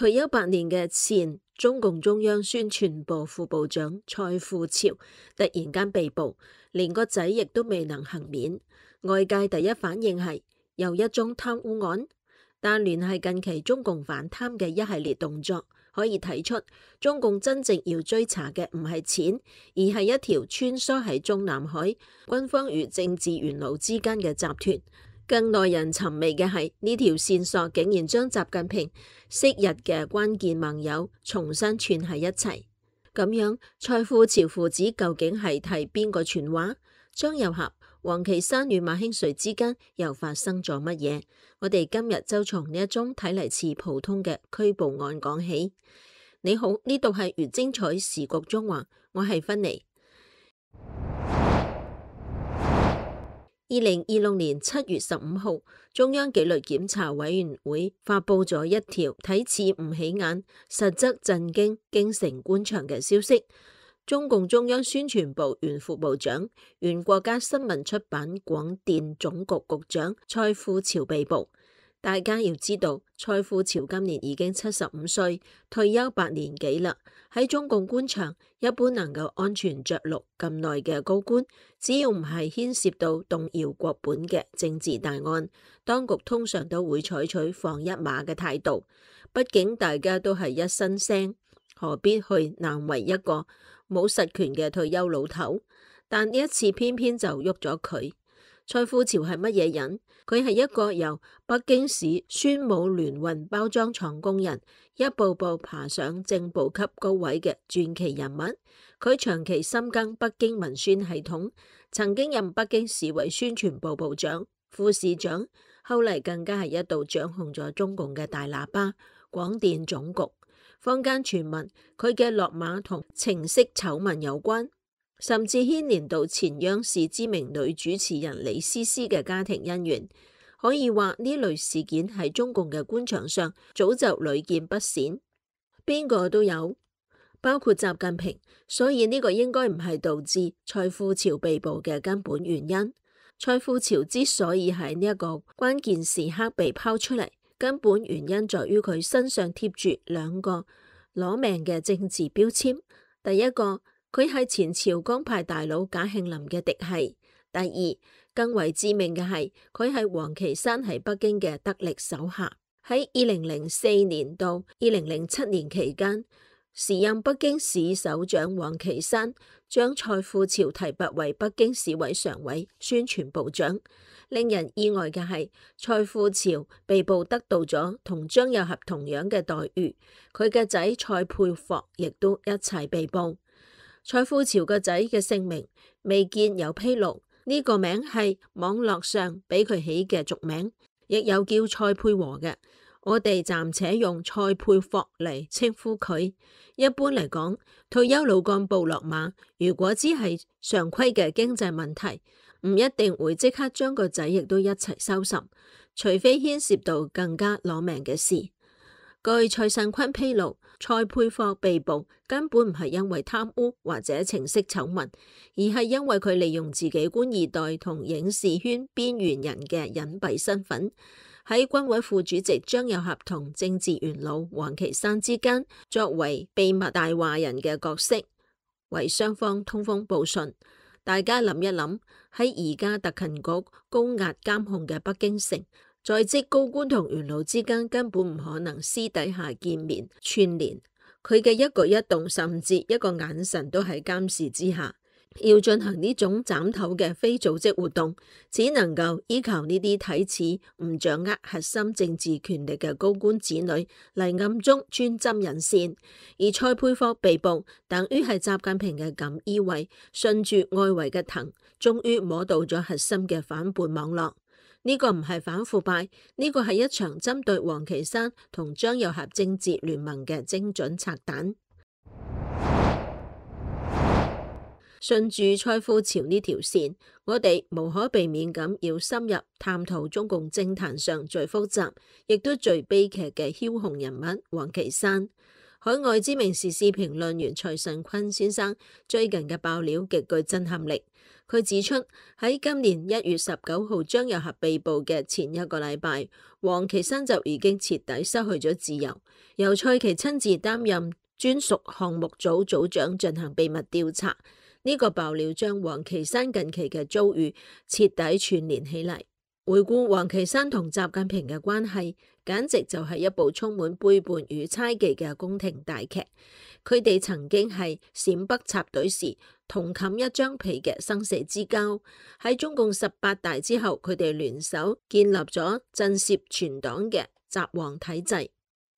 退休8年嘅前中共中央宣傳部副部長蔡富潮突然間被捕，連個仔亦都未能幸免。外界第一反應係又一宗貪污案，但聯繫近期中共反貪嘅一系列動作，可以睇出中共真正要追查嘅唔係錢，而係一條穿梭喺中南海軍方與政治元老之間嘅集團。更耐人尋味嘅係呢條線索竟然將習近平昔日嘅關鍵盟友重新串喺一齊。咁樣蔡富潮父子究竟係替邊個傳話？張又俠、王岐山與馬興瑞之間又發生咗乜嘢？我哋今日就從呢一宗睇嚟似普通嘅拘捕案講起。你好，呢度係粵精彩時局中華，我係芬妮。2026年7月15號，中央紀律檢查委員會發布咗一條睇似唔起眼，實則震驚京城官場嘅消息。中共中央宣傳部原副部長、原國家新聞出版廣電總局局長蔡富潮被捕。大家要知道，蔡富潮今年已經75歲，退休8年幾啦。喺中共官場，一般能夠安全着陸咁耐嘅高官，只要唔係牽涉到動搖國本嘅政治大案，當局通常都會採取放一馬嘅態度。畢竟大家都係一身腥，何必去難為一個冇實權嘅退休老頭？但呢一次偏偏就喐咗佢。蔡富潮係乜嘢人？佢係一個由北京市宣武聯運包裝廠工人，一步步爬上正部級高位嘅傳奇人物。佢長期深耕北京文宣系統，曾經任北京市委宣傳部部長、副市長，後嚟更加係一度掌控咗中共嘅大喇叭廣電總局。坊間傳聞佢嘅落馬同情色醜聞有關，甚至牽連到前央視知名女主持人李思思嘅家庭恩怨。可以話呢類事件喺中共嘅官場上早就屢見不鮮，邊個都有，包括習近平。所以呢個應該唔係導致蔡富潮被捕嘅根本原因。蔡富潮之所以喺呢一個關鍵時刻被拋出嚟，根本原因在於佢身上貼住2個攞命嘅政治標籤。第一個，佢係前朝江派大佬賈慶林嘅嫡系；第二，更為致命嘅係佢係王岐山喺北京嘅得力手下。喺2004年到2007年期間，時任北京市首長王岐山將蔡富潮提拔為北京市委常委、宣傳部長。令人意外嘅係，蔡富潮被捕得到咗同張又俠同樣嘅待遇，佢嘅仔蔡佩霍亦都一齊被捕。蔡富潮個仔嘅姓名未見有披露，呢個名係網絡上俾佢起嘅俗名，亦有叫蔡佩和嘅，我哋暫且用蔡佩霍嚟稱呼佢。一般嚟講，退休老幹部落馬，如果只係常規嘅經濟問題，唔一定會即刻將個仔亦都一齊收拾，除非牽涉到更加攞命嘅事。據蔡尚坤披露，蔡佩霍被捕根本唔係因為貪污或者情色醜聞，而係因為佢利用自己官二代同影視圈邊緣人嘅隱蔽身份，喺軍委副主席張又俠同政治元老王岐山之間作為秘密大話人嘅角色，為雙方通風報信。大家諗一諗，喺而家特勤局高壓監控嘅北京城，在職高官同元老之間根本唔可能私底下見面串聯，佢嘅一舉一動甚至一個眼神都喺監視之下。要進行呢種斬頭嘅非組織活動，只能夠依靠呢啲睇似唔掌握核心政治權力嘅高官子女嚟暗中穿針引線。而蔡佩霍被捕，等於係習近平嘅錦衣衛順住外圍嘅藤，終於摸到咗核心嘅反叛網絡。呢個唔係反腐敗，呢個係一場針對王岐山同張又俠政治聯盟嘅精準拆彈。順住蔡富潮呢條線，我哋無可避免咁要深入探討中共政壇上最複雜亦都最悲劇嘅梟雄人物王岐山。海外知名時事評論員蔡尚坤先生最近嘅爆料極具震撼力。佢指出，喺今年1月19號張又俠被捕嘅前一個禮拜，王岐山就已經徹底失去咗自由，由蔡奇親自擔任專屬項目組組長進行秘密調查。呢個爆料將王岐山近期嘅遭遇徹底串聯起嚟。回顧王岐山同習近平嘅關係，簡直就係一部充滿背叛與猜忌嘅宮廷大劇。佢哋曾經係陝北插隊時同冚一張被嘅生死之交。喺中共18大之後，佢哋聯手建立咗震懾全黨嘅習王體制。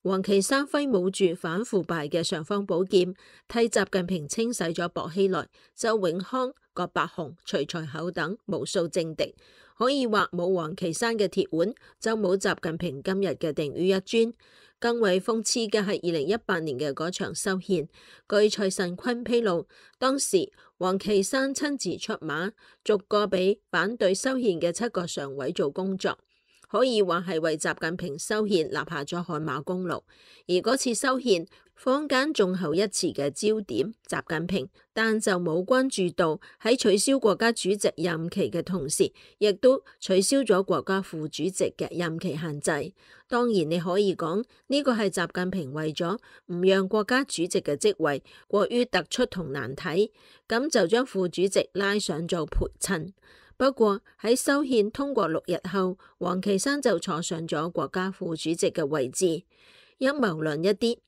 王岐山揮舞住反腐敗嘅尚方寶劍，替習近平清洗咗薄熙來、周永康、葛伯雄、徐才厚等無數政敵。可以話冇王岐山嘅鐵腕，就冇習近平今日嘅定於一尊。更為諷刺嘅係2018年嘅嗰場修憲，據蔡慎坤披露，當時王岐山親自出馬，逐個俾反對修憲嘅7個常委做工作。可以話係為習近平修憲立下咗汗馬功勞。而嗰次修憲，坊間眾口一詞嘅焦點習近平，但就冇關注到喺取消國家主席任期嘅同時，亦都取消咗國家副主席嘅任期限制。當然你可以講呢個係習近平為咗唔讓國家主席嘅職位過於突出同難睇，咁就將副主席拉上做陪襯。不過喺修憲通過6日後，王岐山就坐上咗國家副主席嘅位置。陰謀論一啲，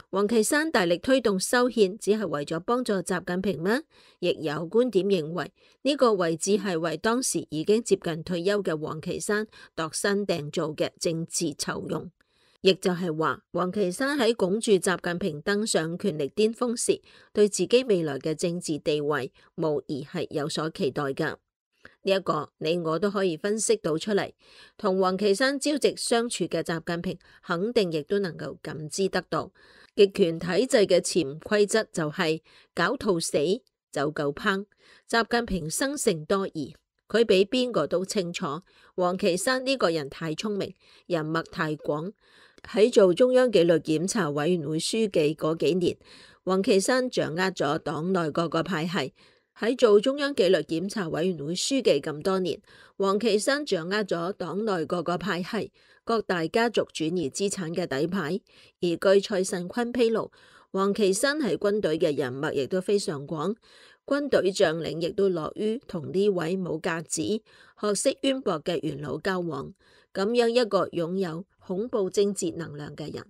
王岐山大力推動修憲，只係為咗幫助習近平咩？亦有觀點認為呢個位置係為當時已經接近退休嘅王岐山度身訂造嘅政治酬庸。亦就係話，王岐山喺拱住習近平登上權力巔峰時，對自己未來嘅政治地位無疑係有所期待㗎。呢一個你我都可以分析到出嚟，同王岐山朝夕相處嘅習近平肯定亦都能夠感知得到，極權體制嘅潛規則就係狡兔死走狗烹。習近平生性多疑，佢比邊個都清楚，王岐山呢個人太聰明，人脈太廣。喺做中央紀律檢查委員會書記嗰幾年，王岐山掌握咗黨內各個派系。喺做中央紀律檢查委員會書記咁多年，王岐山掌握咗黨內各個派系、各大家族轉移資產嘅底牌。而據蔡慎坤披露，王岐山喺軍隊嘅人脈亦都非常廣，軍隊將領亦都樂於同呢位冇架子、學識淵博嘅元老交往。咁樣一個擁有恐怖政治能量嘅人，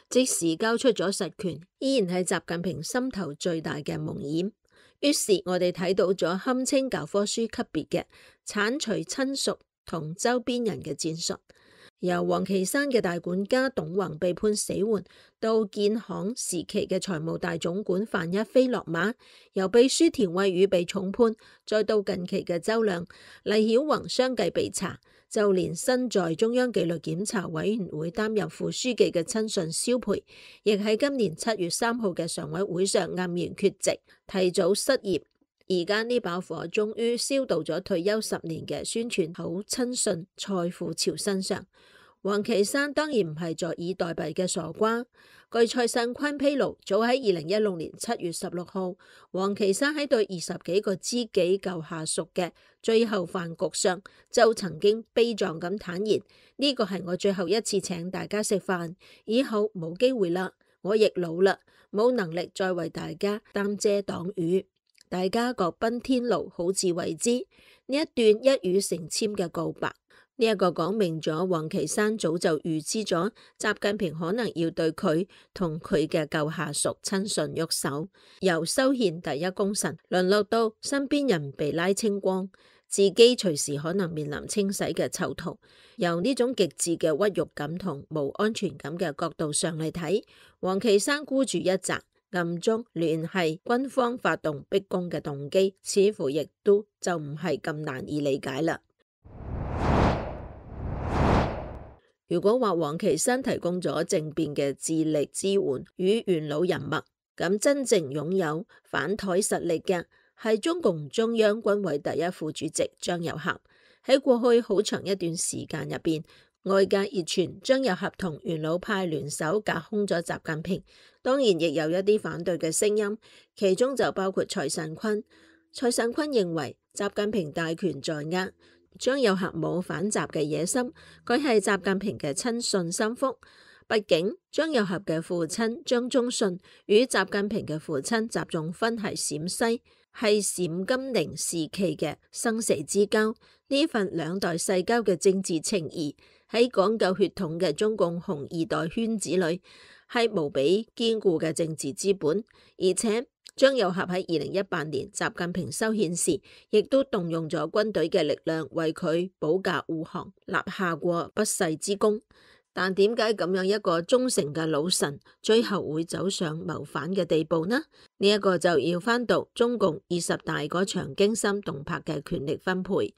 即使交出咗實權，依然係習近平心頭最大嘅夢魘。於是我哋睇到咗堪稱教科書級別嘅剷除親屬同周邊人嘅戰術，由王岐山嘅大管家董宏被判死緩，到建行時期嘅財務大總管范一飛落馬，由秘書田惠宇被重判，再到近期嘅周亮、黎曉宏相繼被查。就連身在中央紀律檢查委員會擔任副書記嘅親信蕭培，亦喺今年7月3號嘅常委會上黯然缺席，提早失業。而家呢把火終於燒到咗退休10年嘅宣傳好親信蔡富潮身上。王岐山當然唔係坐以待斃嘅傻瓜。據蔡慎坤披露，早喺2016年7月16號，王岐山喺對20幾個知己舊下屬嘅最後飯局上，就曾經悲壯咁坦言：呢個係我最後一次請大家食飯，以後冇機會啦，我亦老啦，冇能力再為大家擔遮擋雨，大家各奔天路，好自為之。呢一段一語成讖嘅告白，呢一個講明咗王岐山早就預知咗習近平可能要對佢同佢嘅舊下屬親信喐手，由修憲第一功臣淪落到身邊人被拉清光，自己隨時可能面臨清洗嘅囚徒。由呢種極致嘅屈辱感同冇安全感嘅角度上嚟睇，王岐山孤注一擲，暗中聯繫軍方發動逼宮嘅動機，似乎亦都就唔係咁難以理解啦。如果話王岐山提供咗政變嘅智力支援與元老人脈，咁真正擁有反台實力嘅係中共中央軍委第一副主席張又俠。喺過去好長一段時間入邊，外界熱傳張又俠同元老派聯手架空咗習近平，當然亦有一啲反對嘅聲音，其中就包括蔡慎坤。蔡尚坤認為習近平大權在握，張又俠冇反習嘅野心，佢係習近平嘅親信心腹。畢竟張又俠嘅父親張宗遜與習近平嘅父親習仲勳係陝西，係陝甘寧時期嘅生死之交。呢份兩代世交嘅政治情誼喺講究血統嘅中共紅二代圈子裏係無比堅固嘅政治資本。而且張又俠喺2018年習近平修憲時，亦都動用咗軍隊嘅力量為佢保駕護航，立下過不世之功。但點解咁樣一個忠誠嘅老臣，最後會走上謀反嘅地步呢？呢一個就要翻讀中共20大嗰場驚心動魄嘅權力分配。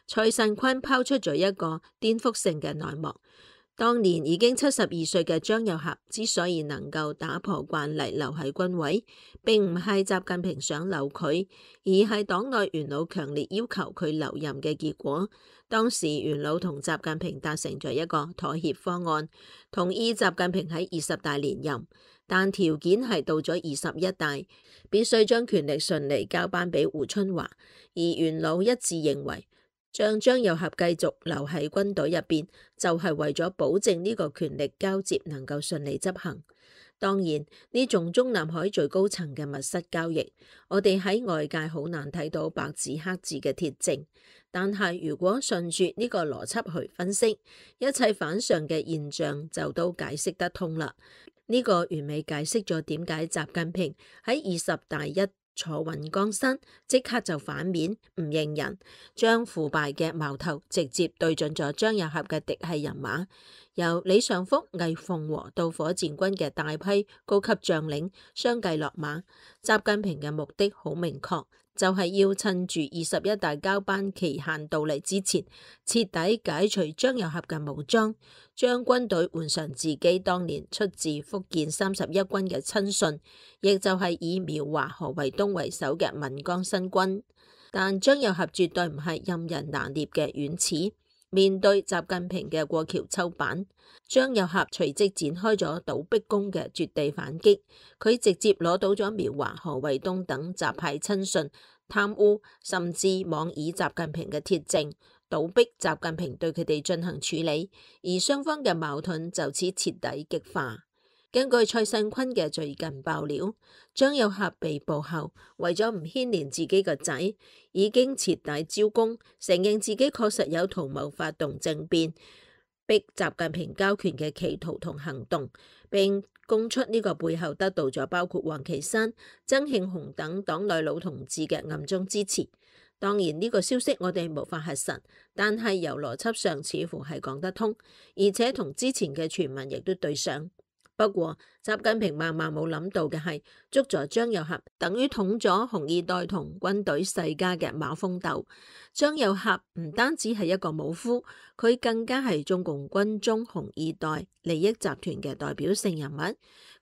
蔡尚坤拋出咗一個顛覆性嘅內幕。當年已經72歲嘅張又俠之所以能夠打破慣例留喺軍委，並唔係習近平想留佢，而係黨內元老強烈要求佢留任嘅結果。當時元老同習近平達成咗一個妥協方案，同意習近平喺20大連任，但條件係到咗21大，必須將權力順利交班俾胡春華。而元老一致認為，將張又俠繼續留喺軍隊入邊，就係為咗保證呢個權力交接能夠順利執行。當然，呢種中南海最高層嘅密室交易，我哋喺外界好難睇到白紙黑字嘅鐵證。但係如果順住呢個邏輯去分析，一切反常嘅現象就都解釋得通啦。呢個完美解釋咗點解習近平喺20大一坐穩江山，即刻就反面唔認人，將腐敗嘅矛頭直接對準咗張又俠嘅嫡系人馬，由李尚福、魏鳳和到火箭軍嘅大批高級將領相繼落馬。習近平嘅目的好明確，就係要趁住21大交班期限到嚟之前，徹底解除張又俠嘅武裝，將軍隊換上自己當年出自福建31軍嘅親信，亦就係以苗華、何衛東為首嘅閩江新軍。但張又俠絕對唔係任人拿捏嘅軟柿，面對習近平嘅過橋抽板，張又俠隨即展開咗倒逼宮嘅絕地反擊。佢直接攞到咗苗華、何衛東等習派親信貪污，甚至妄議習近平嘅鐵證，倒逼習近平對佢哋進行處理，而雙方嘅矛盾就此徹底激化。根據蔡尚坤嘅最近爆料，張又俠被捕後，為咗唔牽連自己個仔，已經徹底招供，承認自己確實有圖謀發動政變，逼習近平交權嘅企圖同行動，並供出呢個背後得到咗包括王岐山、曾慶紅等黨內老同志嘅暗中支持。當然呢個消息我哋無法核實，但係由邏輯上似乎係講得通，而且同之前嘅傳聞亦都對上。不過習近平萬萬冇諗到嘅係，捉咗張又俠等於捅咗紅二代同軍隊世家嘅馬蜂竇。張又俠唔單止係一個武夫，佢更加係中共軍中紅二代利益集團嘅代表性人物。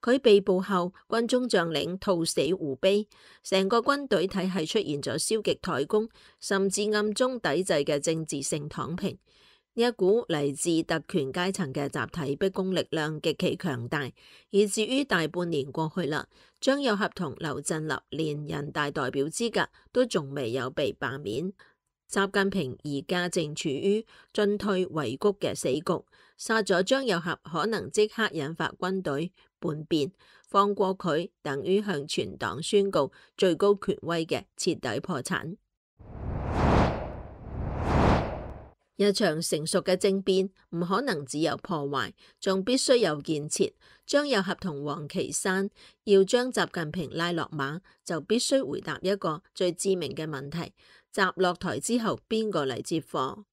佢被捕後，軍中將領兔死狐悲，成個軍隊體系出現咗消極怠工，甚至暗中抵制嘅政治性躺平。呢一股嚟自特權階層嘅集體逼宮力量極其強大，以至於大半年過去啦，張又俠同劉振立連人大代表資格都仲未有被罷免。習近平而家正處於進退維谷嘅死局，殺咗張又俠可能即刻引發軍隊叛變，放過佢等於向全黨宣告最高權威嘅徹底破產。一場成熟嘅政變唔可能只有破壞，仲必須有建設。張又俠同王岐山要將習近平拉落馬，就必須回答一個最致命嘅問題：習落台之後，邊個嚟接貨？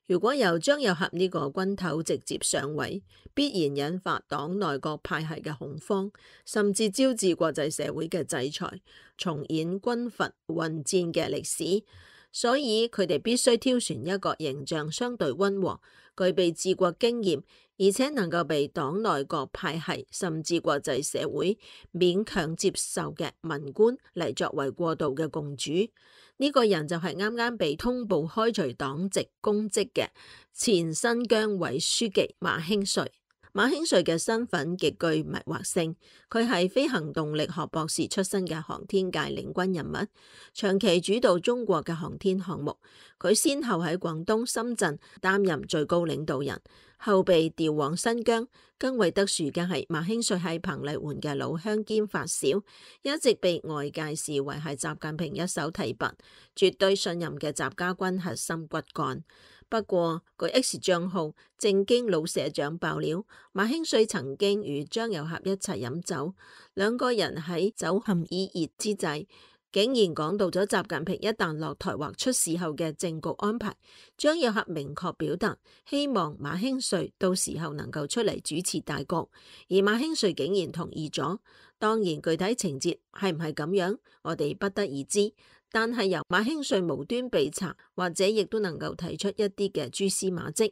如果由張又俠呢個軍頭直接上位，必然引發黨內各派系嘅恐慌，甚至招致國際社會嘅制裁，重演軍閥混戰嘅歷史。所以佢哋必須挑選一個形象相對溫和、具備治國經驗，而且能夠被黨內各派系甚至國際社會勉強接受嘅文官嚟作為過渡嘅共主。呢個人就係啱啱被通報開除黨籍公職嘅前新疆委書記馬興瑞。馬興瑞嘅身份極具迷惑性，佢係飛行動力學博士出身嘅航天界領軍人物，長期主導中國嘅航天項目。佢先後喺廣東、深圳擔任最高領導人，後被調往新疆。更為特殊嘅係，馬興瑞係彭麗媛嘅老鄉兼發小，一直被外界視為係習近平一手提拔、絕對信任嘅習家軍核心骨幹。不過，據 X 賬號正經老社長爆料，馬興瑞曾經與張又俠一齊飲酒，兩個人喺酒酣耳熱之際，竟然講到咗習近平一旦落台或出事後嘅政局安排。張又俠明確表達希望馬興瑞到時候能夠出嚟主持大局，而馬興瑞竟然同意咗。當然，具體情節係唔係咁樣，我哋不得而知。但係由馬興瑞無端被查，或者亦都能夠提出一啲嘅蛛絲馬跡。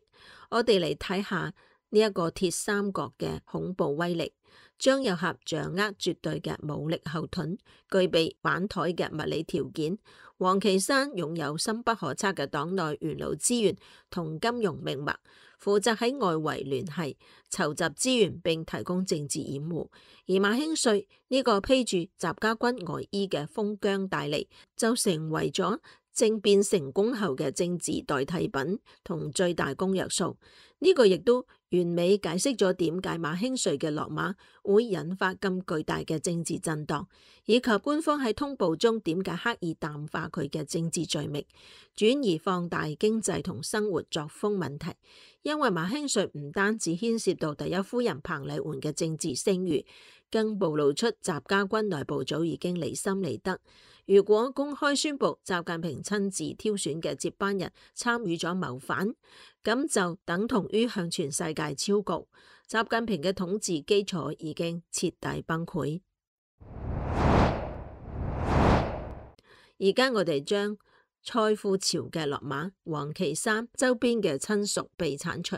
我哋嚟睇下呢一個鐵三角嘅恐怖威力。張又俠掌握絕對嘅武力後盾，具備玩台嘅物理條件。王岐山擁有深不可測嘅黨內元老資源同金融命脈，負責喺外圍聯繫、籌集資源並提供政治掩護。而馬興瑞呢個披住習家軍外衣嘅封疆大吏，就成為咗政變成功後嘅政治代替品同最大公約數。呢個亦都完美解釋咗點解馬興瑞嘅落馬會引發咁巨大嘅政治震盪，以及官方喺通報中點解刻意淡化佢嘅政治罪名，轉而放大經濟同生活作風問題。因為馬興瑞唔單止牽涉到第一夫人彭麗媛嘅政治聲譽，更暴露出習家軍內部早已經離心離德。如果公開宣布習近平親自挑選嘅接班人參與咗謀反，咁就等同於向全世界昭告習近平嘅統治基礎已經徹底崩潰。而家我哋將蔡富潮嘅落馬、王岐山周邊嘅親屬被剷除、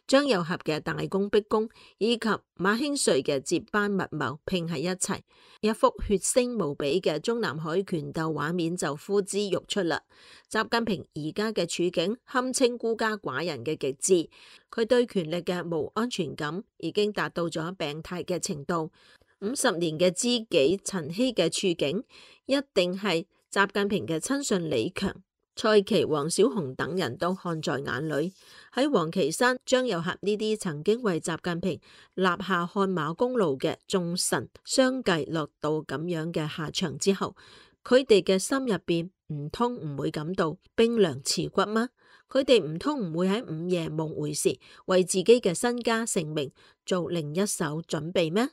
張又俠嘅大功逼宮以及馬興瑞嘅接班密謀拼喺一齊，一幅血腥無比嘅中南海權鬥畫面就呼之欲出啦。習近平而家嘅處境堪稱孤家寡人嘅極致，佢對權力嘅無安全感已經達到咗病態嘅程度。50年嘅知己陳希嘅處境，一定係習近平嘅親信李強、蔡奇、王小洪等人都看在眼裏。喺王岐山、張又俠呢啲曾經為習近平立下汗馬功勞嘅眾臣相繼落到咁樣嘅下場之後，佢哋嘅心入邊唔通唔會感到冰涼刺骨嗎？佢哋唔通唔會喺午夜夢回時為自己嘅身家性命做另一手準備咩？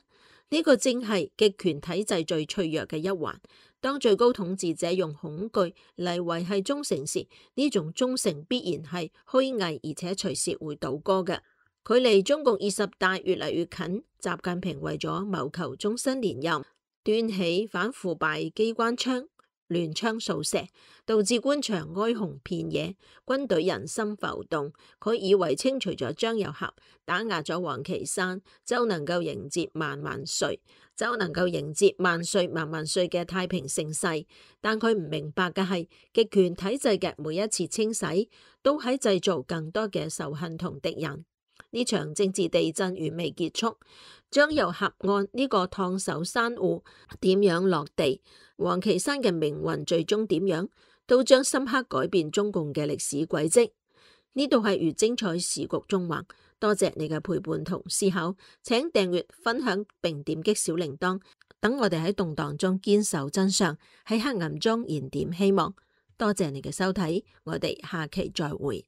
呢個正係極權體制最脆弱嘅一環。當最高統治者用恐懼嚟維繫忠誠時，呢種忠誠必然係虛偽，而且隨時會倒戈嘅。距離中共20大越嚟越近，習近平為咗謀求終身連任，端起反腐敗機關槍，亂槍掃射，導致官場哀鴻遍野，軍隊人心浮動。佢以為清除咗張又俠，打壓咗王岐山，就能夠迎接萬萬歲萬萬歲嘅太平盛世。但佢唔明白嘅係，極權體制嘅每一次清洗，都喺製造更多嘅仇恨同敵人。呢場政治地震遠未結束，張又俠案呢個燙手山芋點樣落地，王岐山嘅命運最終點樣，都將深刻改變中共嘅歷史軌跡。呢度係粵精彩時局中橫，多謝你嘅陪伴同思考，請訂閱、分享並點擊小鈴鐺，等我哋喺動盪中堅守真相，喺黑暗中燃點希望。多謝你嘅收睇，我哋下期再會。